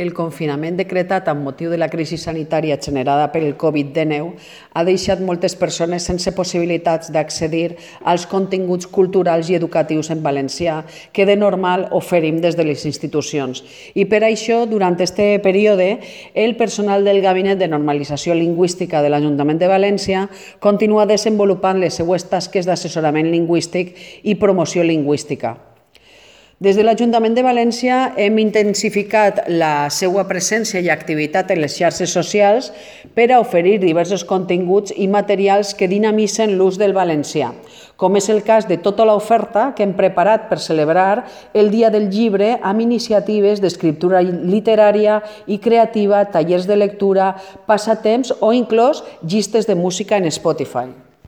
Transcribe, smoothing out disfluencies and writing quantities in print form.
El confinament decretat amb motiu de la crisi sanitària generada per el Covid-19 ha deixat moltes persones sense possibilitats d'accedir als continguts culturals i educatius en valencià que de normal oferim des de les institucions. I per això, durant aquest període, el personal del Gabinet de Normalització Lingüística de l'Ajuntament de València continua desenvolupant les seues tasques d'assessorament lingüístic i promoció lingüística. Des de l'Ajuntament de València hem intensificat la seva presència i activitat en les xarxes socials per a oferir diversos continguts i materials que dinamitzen l'ús del valencià, com és el cas de tota l'oferta que hem preparat per celebrar el Dia del Llibre amb iniciatives d'escriptura literària i creativa, tallers de lectura, passatemps o inclús llistes de música en Spotify.